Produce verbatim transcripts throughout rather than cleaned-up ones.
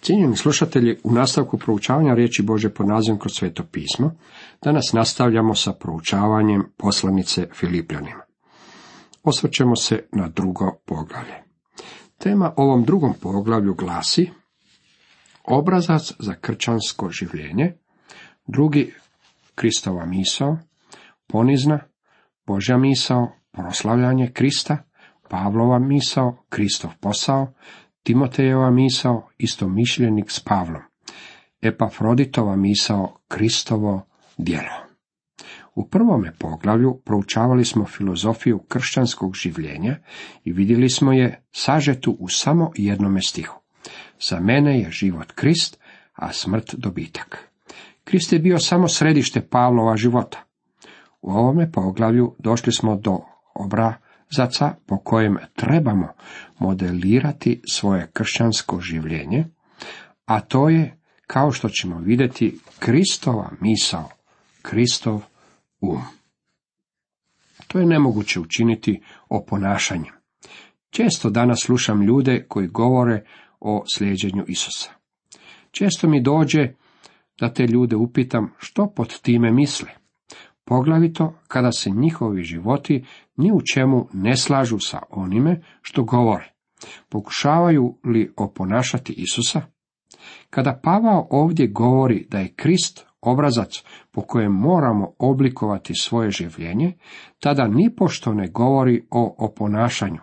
Cijenjeni slušatelji, u nastavku proučavanja riječi Božje pod nazivom kroz Sveto pismo, danas nastavljamo sa proučavanjem poslanice Filipljanima. Osvrćemo se na drugo poglavlje. Tema ovom drugom poglavlju glasi obrazac za kršćansko življenje, drugi Kristova misao, ponizna, Božja misao, proslavljanje Krista, Pavlova misao, Kristov posao, Timotejeva misao, istomišljenik s Pavlom, Epafroditova misao, Kristovo djelo. U prvome poglavlju proučavali smo filozofiju kršćanskog življenja i vidjeli smo je sažetu u samo jednome stihu. Za mene je život Krist, a smrt dobitak. Krist je bio samo središte Pavlova života. U ovome poglavlju došli smo do obrazaca po kojem trebamo modelirati svoje kršćansko življenje, a to je, kao što ćemo vidjeti, Kristova misao, Kristov um. To je nemoguće učiniti oponašanjem. Često danas slušam ljude koji govore o slijeđenju Isusa. Često mi dođe da te ljude upitam što pod time misle, poglavito kada se njihovi životi ni u čemu ne slažu sa onime što govore. Pokušavaju li oponašati Isusa? Kada Pavao ovdje govori da je Krist obrazac po kojem moramo oblikovati svoje življenje, tada nipošto ne govori o oponašanju.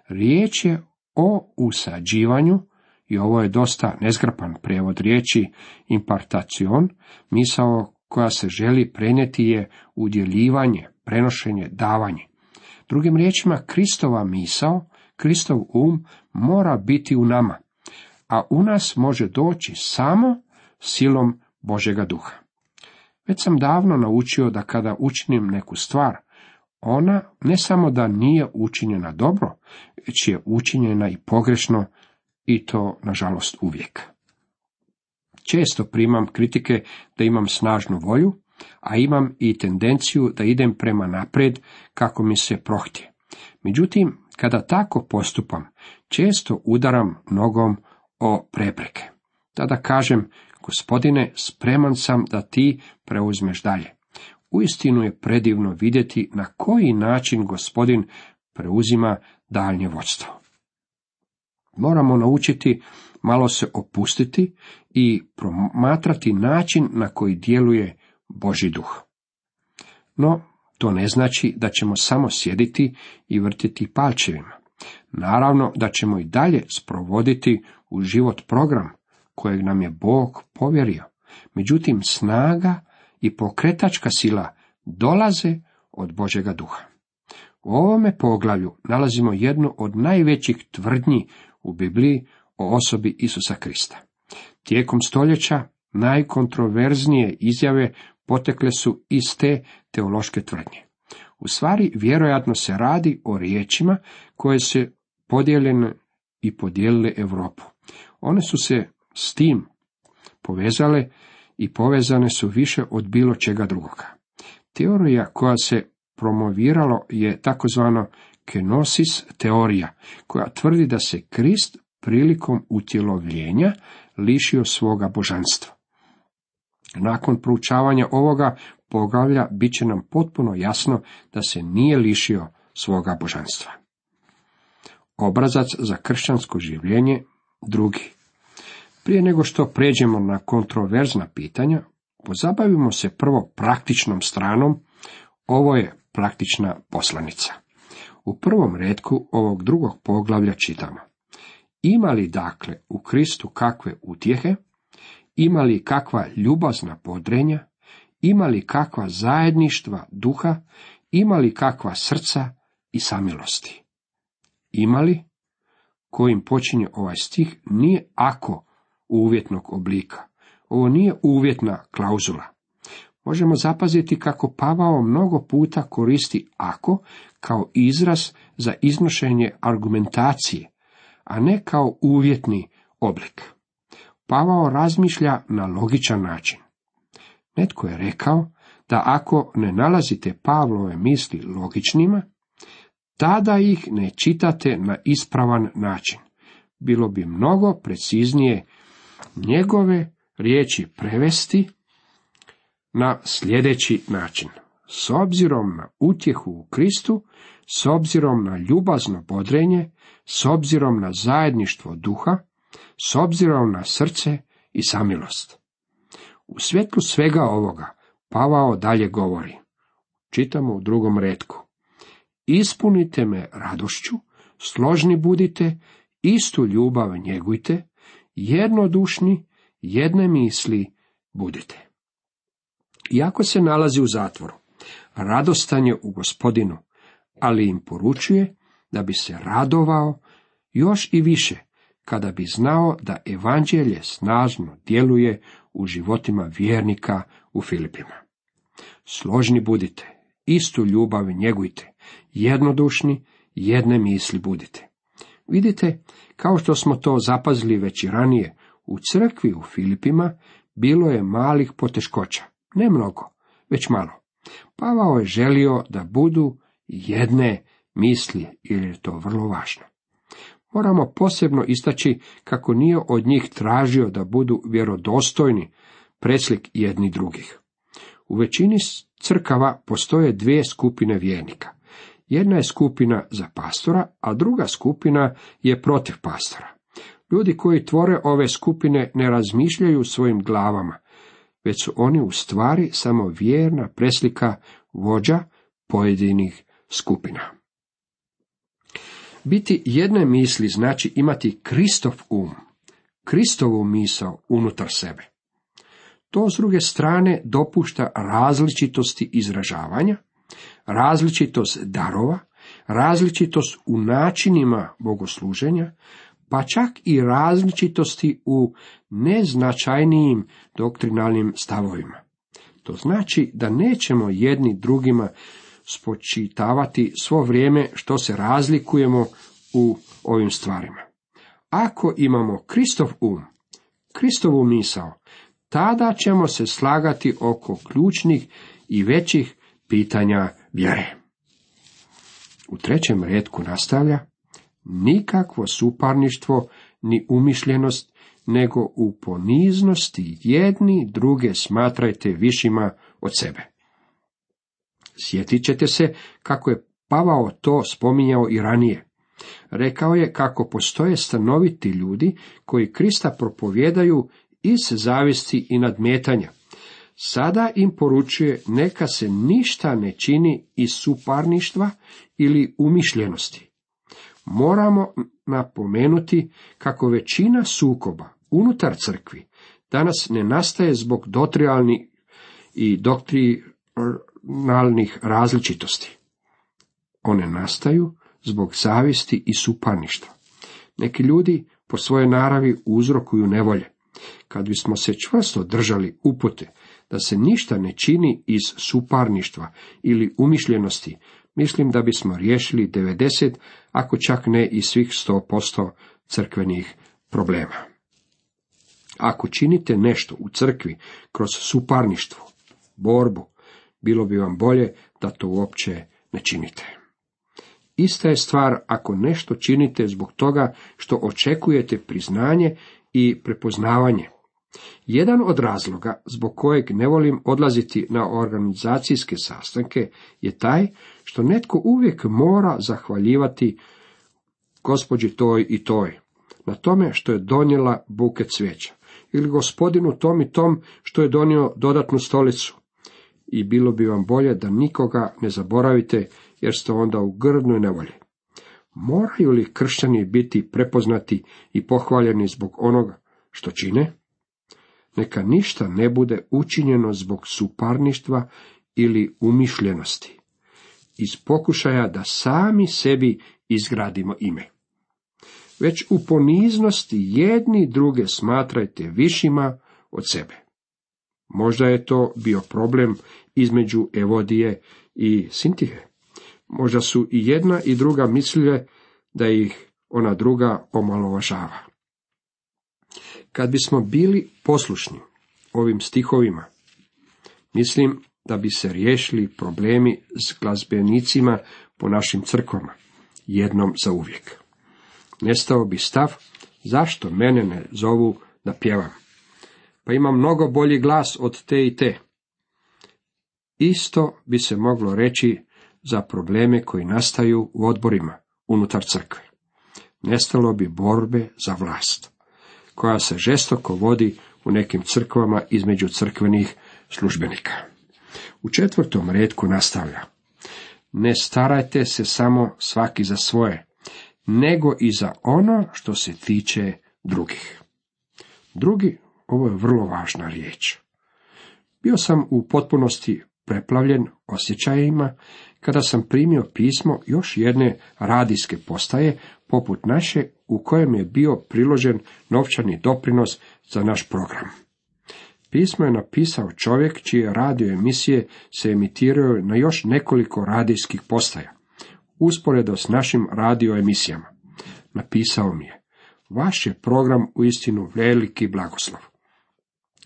Riječ je o usađivanju, i ovo je dosta nezgrapan prijevod riječi impartacion, misao koja se želi prenijeti je udjeljivanje, prenošenje, davanje. Drugim riječima, Kristova misao, Kristov um mora biti u nama, a u nas može doći samo silom Božjega duha. Već sam davno naučio da kada učinim neku stvar, ona ne samo da nije učinjena dobro, već je učinjena i pogrešno, i to, nažalost, uvijek. Često primam kritike da imam snažnu volju, a imam i tendenciju da idem prema naprijed kako mi se prohtje. Međutim, kada tako postupam, često udaram nogom o prepreke. Tada kažem, Gospodine, spreman sam da ti preuzmeš dalje. Uistinu je predivno vidjeti na koji način Gospodin preuzima daljnje vodstvo. Moramo naučiti malo se opustiti i promatrati način na koji djeluje Božji duh. No, to ne znači da ćemo samo sjediti i vrtiti palčevima. Naravno da ćemo i dalje sprovoditi u život program kojeg nam je Bog povjerio. Međutim, snaga i pokretačka sila dolaze od Božjega duha. U ovome poglavlju nalazimo jednu od najvećih tvrdnji u Bibliji o osobi Isusa Krista. Tijekom stoljeća najkontroverznije izjave potekle su iz te teološke tvrdnje. U stvari, vjerojatno se radi o riječima koje se podijeljene i podijelile Europu. One su se s tim povezale i povezane su više od bilo čega drugoga. Teorija koja se promoviralo je takozvano kenosis teorija, koja tvrdi da se Krist prilikom utjelovljenja lišio svoga božanstva. Nakon proučavanja ovoga poglavlja bit će nam potpuno jasno da se nije lišio svoga božanstva. Obrazac za kršćansko življenje, drugi. Prije nego što pređemo na kontroverzna pitanja, pozabavimo se prvo praktičnom stranom. Ovo je praktična poslanica. U prvom retku ovog drugog poglavlja čitamo: ima li dakle u Kristu kakve utjehe, ima li kakva ljubazna podrenja, ima li kakva zajedništva duha, ima li kakva srca i samilosti. Ima li, kojim počinje ovaj stih, nije ako uvjetnog oblika. Ovo nije uvjetna klauzula. Možemo zapaziti kako Pavao mnogo puta koristi ako kao izraz za iznošenje argumentacije, a ne kao uvjetni oblik. Pavao razmišlja na logičan način. Netko je rekao da ako ne nalazite Pavlove misli logičnima, tada ih ne čitate na ispravan način. Bilo bi mnogo preciznije njegove riječi prevesti na sljedeći način. S obzirom na utjehu u Kristu, s obzirom na ljubazno bodrenje, s obzirom na zajedništvo duha, s obzirom na srce i samilost. U svjetlu svega ovoga Pavao dalje govori. Čitamo u drugom retku. Ispunite me radošću, složni budite, istu ljubav njegujte, jednodušni, jedne misli budite. Iako se nalazi u zatvoru, radostan je u Gospodinu, ali im poručuje da bi se radovao još i više kada bi znao da evanđelje snažno djeluje u životima vjernika u Filipima. Složni budite, istu ljubav njegujte, jednodušni, jedne misli budite. Vidite, kao što smo to zapazili već i ranije, u crkvi u Filipima bilo je malih poteškoća, ne mnogo, već malo. Pavao je želio da budu jedne misli, jer je to vrlo važno. Moramo posebno istaći kako nije od njih tražio da budu vjerodostojni preslik jedni drugih. U većini crkava postoje dvije skupine vjernika. Jedna je skupina za pastora, a druga skupina je protiv pastora. Ljudi koji tvore ove skupine ne razmišljaju svojim glavama, već su oni u stvari samo vjerna preslika vođa pojedinih skupina. Biti jedne misli znači imati Kristov um, Kristovu misao unutar sebe. To s druge strane dopušta različitosti izražavanja, različitost darova, različitost u načinima bogosluženja, pa čak i različitosti u neznačajnijim doktrinalnim stavovima. To znači da nećemo jedni drugima spočitavati svo vrijeme što se razlikujemo u ovim stvarima. Ako imamo Kristov um, Kristovu misao, tada ćemo se slagati oko ključnih i većih pitanja vjere. U trećem retku nastavlja, nikakvo suparništvo ni umišljenost, nego u poniznosti jedni druge smatrajte višima od sebe. Sjetit ćete se kako je Pavao to spominjao i ranije. Rekao je kako postoje stanoviti ljudi koji Krista propovijedaju iz zavisti i nadmetanja. Sada im poručuje neka se ništa ne čini iz suparništva ili umišljenosti. Moramo napomenuti kako većina sukoba unutar crkvi danas ne nastaje zbog dotrijalnih i doktrinalnih različitosti. One nastaju zbog zavisti i suparništva. Neki ljudi po svojoj naravi uzrokuju nevolje. Kad bismo se čvrsto držali upute da se ništa ne čini iz suparništva ili umišljenosti, mislim da bismo riješili devedeset, ako čak ne i svih sto posto crkvenih problema. Ako činite nešto u crkvi kroz suparništvo, borbu, bilo bi vam bolje da to uopće ne činite. Ista je stvar ako nešto činite zbog toga što očekujete priznanje i prepoznavanje. Jedan od razloga zbog kojeg ne volim odlaziti na organizacijske sastanke je taj što netko uvijek mora zahvaljivati gospođi toj i toj na tome što je donijela buket cvijeća ili gospodinu tom i tom što je donio dodatnu stolicu. I bilo bi vam bolje da nikoga ne zaboravite jer ste onda u grdnoj nevolji. Moraju li kršćani biti prepoznati i pohvaljeni zbog onoga što čine? Neka ništa ne bude učinjeno zbog suparništva ili umišljenosti, iz pokušaja da sami sebi izgradimo ime. Već u poniznosti jedni druge smatrajte višima od sebe. Možda je to bio problem između Evodije i Sintihe. Možda su i jedna i druga mislile da ih ona druga omalovažava. Kad bismo bili poslušni ovim stihovima, mislim da bi se riješili problemi s glazbenicima po našim crkvama, jednom za uvijek. Nestao bi stav, zašto mene ne zovu da pjevam. Pa imam mnogo bolji glas od te i te. Isto bi se moglo reći za probleme koji nastaju u odborima unutar crkve. Nestalo bi borbe za vlast, koja se žestoko vodi u nekim crkvama između crkvenih službenika. U četvrtom retku nastavlja: ne starajte se samo svaki za svoje, nego i za ono što se tiče drugih. Drugi, ovo je vrlo važna riječ. Bio sam u potpunosti preplavljen osjećajima kada sam primio pismo još jedne radijske postaje poput naše, u kojem je bio priložen novčani doprinos za naš program. Pismo je napisao čovjek čije radio emisije se emitiraju na još nekoliko radijskih postaja, usporedo s našim radio emisijama. Napisao mi je: vaš je program uistinu veliki blagoslov.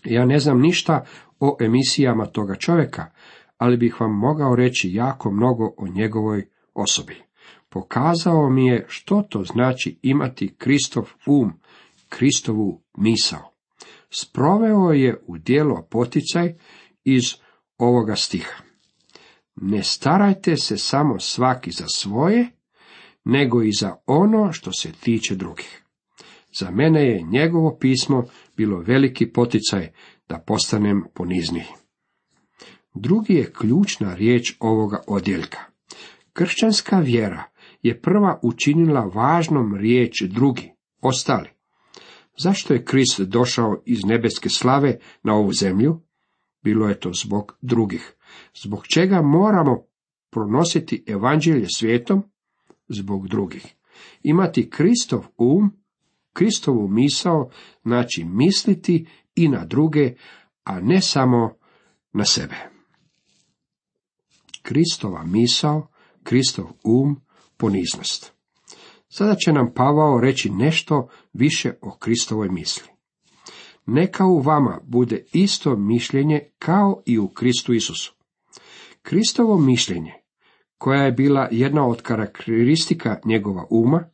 Ja ne znam ništa o emisijama toga čovjeka, ali bih vam mogao reći jako mnogo o njegovoj osobi. Pokazao mi je što to znači imati Kristov um, Kristovu misao. Sproveo je u djelo poticaj iz ovoga stiha: ne starajte se samo svaki za svoje, nego i za ono što se tiče drugih. Za mene je njegovo pismo bilo veliki poticaj da postanem ponizniji. Drugi je ključna riječ ovoga odjeljka. Kršćanska vjera je prva učinila važnom riječ drugi, ostali. Zašto je Krist došao iz nebeske slave na ovu zemlju? Bilo je to zbog drugih. Zbog čega moramo pronositi evanđelje svijetom? Zbog drugih. Imati Kristov um, Kristovu misao, znači misliti i na druge, a ne samo na sebe. Kristova misao, Kristov um, poniznost. Sada će nam Pavao reći nešto više o Kristovoj misli. Neka u vama bude isto mišljenje kao i u Kristu Isusu. Kristovo mišljenje, koja je bila jedna od karakteristika njegova uma,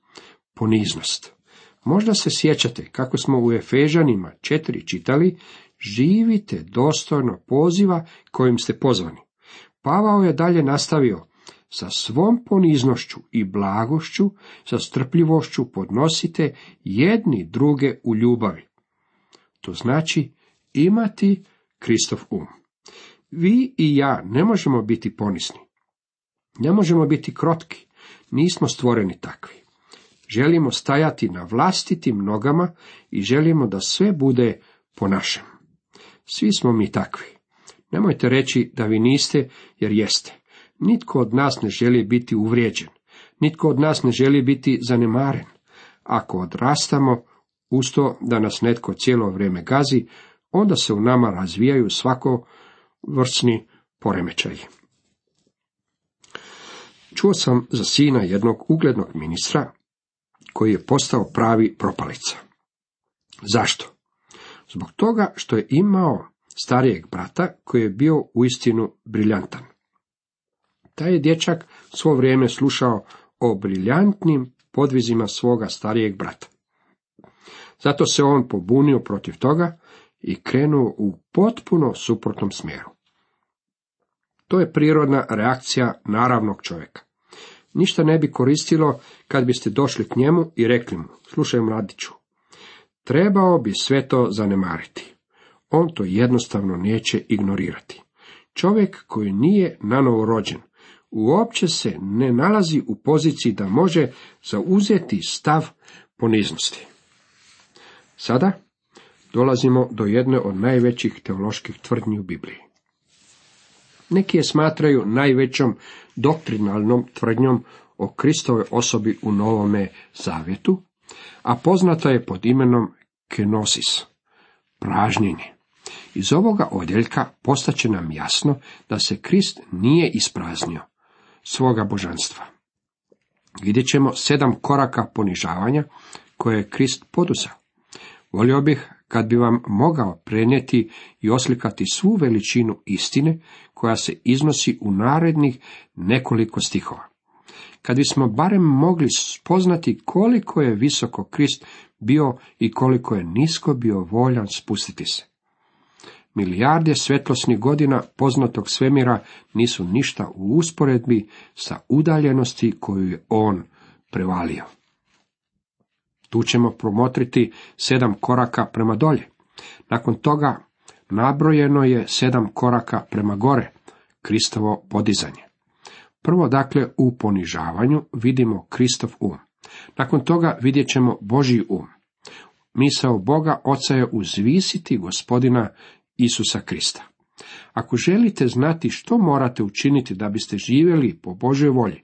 poniznost. Možda se sjećate kako smo u Efežanima četiri čitali: živite dostojno poziva kojim ste pozvani. Pavao je dalje nastavio: sa svom poniznošću i blagošću, sa strpljivošću podnosite jedni druge u ljubavi. To znači imati Kristov um. Vi i ja ne možemo biti ponizni. Ne možemo biti krotki. Nismo stvoreni takvi. Želimo stajati na vlastitim nogama i želimo da sve bude po našem. Svi smo mi takvi. Nemojte reći da vi niste, jer jeste. Nitko od nas ne želi biti uvrijeđen. Nitko od nas ne želi biti zanemaren. Ako odrastamo uz to da nas netko cijelo vrijeme gazi, onda se u nama razvijaju svakovrsni poremećaji. Čuo sam za sina jednog uglednog ministra koji je postao pravi propalica. Zašto? Zbog toga što je imao starijeg brata koji je bio uistinu briljantan. Taj je dječak svo vrijeme slušao o briljantnim podvizima svoga starijeg brata. Zato se on pobunio protiv toga i krenuo u potpuno suprotnom smjeru. To je prirodna reakcija naravnog čovjeka. Ništa ne bi koristilo kad biste došli k njemu i rekli mu: slušaj mladiću, trebao bi sve to zanemariti. On to jednostavno neće ignorirati. Čovjek koji nije nanovo rođen uopće se ne nalazi u poziciji da može zauzeti stav poniznosti. Sada dolazimo do jedne od najvećih teoloških tvrdnji u Bibliji. Neki je smatraju najvećom doktrinalnom tvrdnjom o Kristovoj osobi u Novome Zavjetu, a poznata je pod imenom kenosis, pražnjenje. Iz ovoga odjeljka postaće nam jasno da se Krist nije ispraznio svoga božanstva. Vidjet ćemo sedam koraka ponižavanja koje je Krist poduzeo. Volio bih kad bi vam mogao prenijeti i oslikati svu veličinu istine koja se iznosi u narednih nekoliko stihova. Kad bismo barem mogli spoznati koliko je visoko Krist bio i koliko je nisko bio voljan spustiti se. Milijarde svjetlosnih godina poznatog svemira nisu ništa u usporedbi sa udaljenosti koju je on prevalio. Tu ćemo promotriti sedam koraka prema dolje. Nakon toga nabrojeno je sedam koraka prema gore, Kristovo podizanje. Prvo, dakle, u ponižavanju vidimo Kristov um. Nakon toga vidjet ćemo Božji um. Misao Boga Oca je uzvisiti Gospodina Isusa Krista. Ako želite znati što morate učiniti da biste živjeli po Božjoj volji,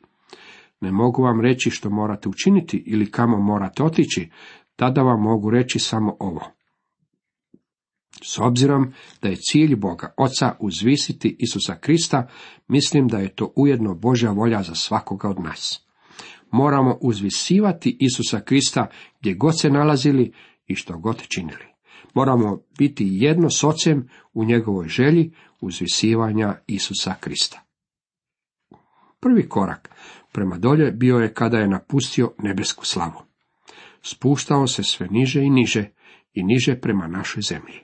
ne mogu vam reći što morate učiniti ili kamo morate otići, tada vam mogu reći samo ovo. S obzirom da je cilj Boga Oca uzvisiti Isusa Krista, mislim da je to ujedno Božja volja za svakoga od nas. Moramo uzvisivati Isusa Krista gdje god se nalazili i što god činili. Moramo biti jedno s Ocem u njegovoj želji uzvisivanja Isusa Krista. Prvi korak prema dolje bio je kada je napustio nebesku slavu. Spuštao se sve niže i niže i niže prema našoj zemlji.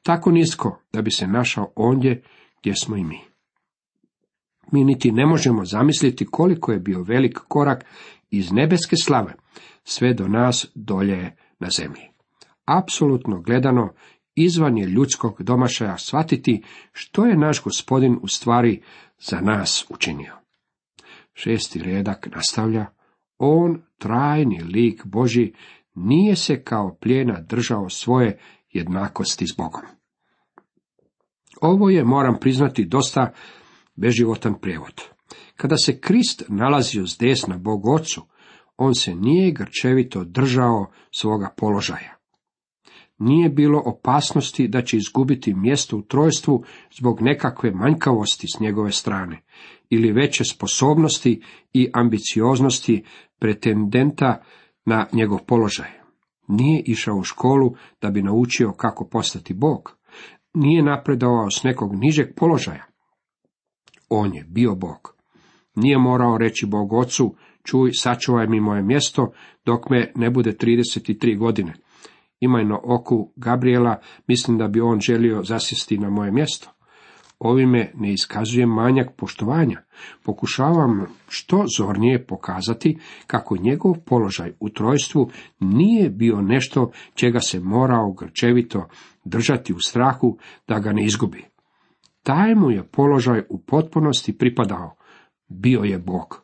Tako nisko da bi se našao ondje gdje smo i mi. Mi niti ne možemo zamisliti koliko je bio velik korak iz nebeske slave sve do nas dolje na zemlji. Apsolutno gledano, izvan je ljudskog domašaja shvatiti što je naš Gospodin u stvari za nas učinio. Šesti redak nastavlja: on, trajni lik Božji, nije se kao plijena držao svoje jednakosti s Bogom. Ovo je, moram priznati, dosta beživotan prijevod. Kada se Krist nalazio s desna Bogu Ocu, on se nije grčevito držao svoga položaja. Nije bilo opasnosti da će izgubiti mjesto u trojstvu zbog nekakve manjkavosti s njegove strane, ili veće sposobnosti i ambicioznosti pretendenta na njegov položaj. Nije išao u školu da bi naučio kako postati Bog. Nije napredovao s nekog nižeg položaja. On je bio Bog. Nije morao reći Bogu Ocu: čuj, sačuvaj mi moje mjesto dok me ne bude trideset tri godine. Imaj na oku Gabriela, mislim da bi on želio zasjesti na moje mjesto. Ovime ne iskazujem manjak poštovanja. Pokušavam što zornije pokazati kako njegov položaj u trojstvu nije bio nešto čega se morao grčevito držati u strahu da ga ne izgubi. Taj mu je položaj u potpunosti pripadao. Bio je Bog.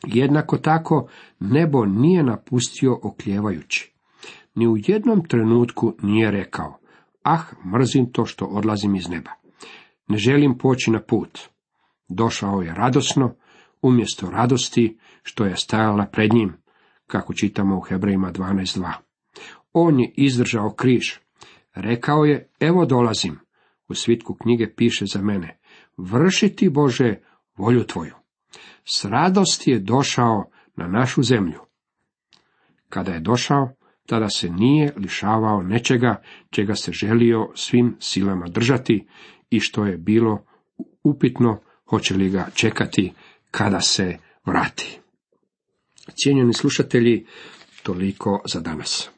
Jednako tako nebo nije napustio oklijevajući. Ni u jednom trenutku nije rekao: ah, mrzim to što odlazim iz neba. Ne želim poći na put. Došao je radosno, umjesto radosti što je stajala pred njim, kako čitamo u Hebrejima dvanaest dva. On je izdržao križ. Rekao je: evo dolazim. U svitku knjige piše za mene: vrši ti, Bože, volju tvoju. S radosti je došao na našu zemlju. Kada je došao, tada se nije lišavao nečega čega se želio svim silama držati i što je bilo upitno hoće li ga čekati kada se vrati. Cijenjeni slušatelji, toliko za danas.